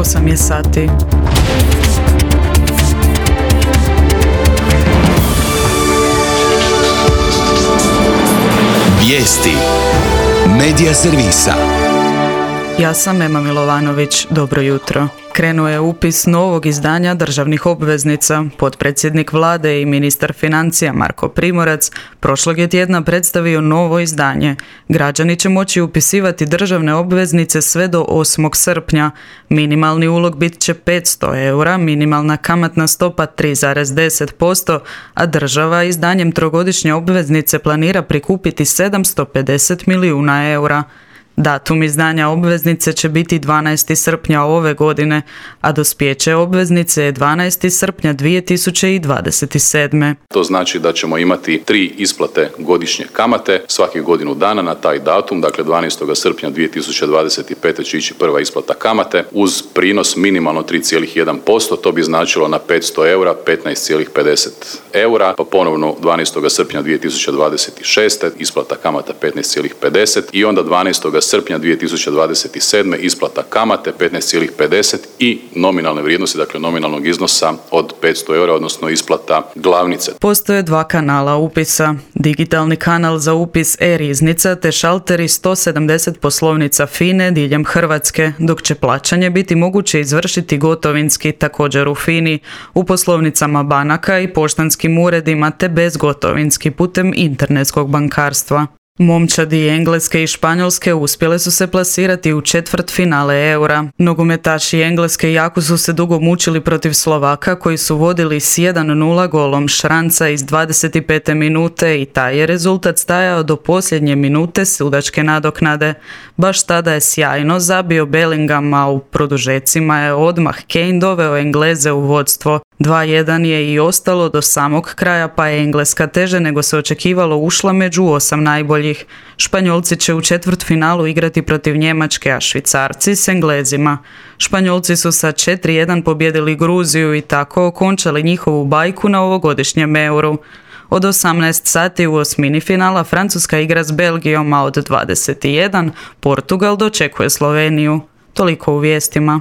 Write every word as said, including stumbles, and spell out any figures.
osam je sati. Vijesti Medija servisa. Ja sam Ema Milovanović, dobro jutro. Krenuo je upis novog izdanja državnih obveznica. Potpredsjednik vlade i ministar financija Marko Primorac prošlog je tjedna predstavio novo izdanje. Građani će moći upisivati državne obveznice sve do osmog srpnja. Minimalni ulog bit će petsto eura, minimalna kamatna stopa tri zarez deset posto, a država izdanjem trogodišnje obveznice planira prikupiti sedamsto pedeset milijuna eura. Datum izdanja obveznice će biti dvanaesti srpnja ove godine, a dospijeće obveznice je dvanaesti srpnja dvije tisuće dvadeset sedme. To znači da ćemo imati tri isplate godišnje kamate svakih godinu dana na taj datum, dakle dvanaestog srpnja dvije tisuće dvadeset pete će ići prva isplata kamate uz prinos minimalno tri zarez jedan posto, to bi značilo na petsto eura petnaest zarez pedeset eura, pa ponovno dvanaestog srpnja dvije tisuće dvadeset šeste isplata kamata petnaest zarez pedeset i onda dvanaestog srpnja dvije tisuće dvadeset sedme isplata kamate petnaest zarez pedeset i nominalne vrijednosti, dakle nominalnog iznosa od petsto eura, odnosno isplata glavnice. Postoje dva kanala upisa. Digitalni kanal za upis e-riznica te šalteri sto sedamdeset poslovnica FINE diljem Hrvatske, dok će plaćanje biti moguće izvršiti gotovinski također u FINI, u poslovnicama banaka i poštanskim uredima te bezgotovinski putem internetskog bankarstva. Momčadi Engleske i Španjolske uspjele su se plasirati u četvrtfinale eura. Nogometaši Engleske jako su se dugo mučili protiv Slovaka koji su vodili s jedan nula golom Šranca iz dvadeset pete minute i taj je rezultat stajao do posljednje minute sudačke nadoknade. Baš tada je sjajno zabio Bellingham, a u produžecima je odmah Kane doveo Engleze u vodstvo. dva jedan je i ostalo do samog kraja, pa je Engleska teže nego se očekivalo ušla među osam najboljih. Španjolci će u četvrtfinalu igrati protiv Njemačke, a Švicarci s Englezima. Španjolci su sa četiri jedan pobijedili Gruziju i tako okončali njihovu bajku na ovogodišnjem euru. Od osamnaest sati u osmini finala Francuska igra s Belgijom, a od dvadeset jedan Portugal dočekuje Sloveniju. Toliko u vijestima.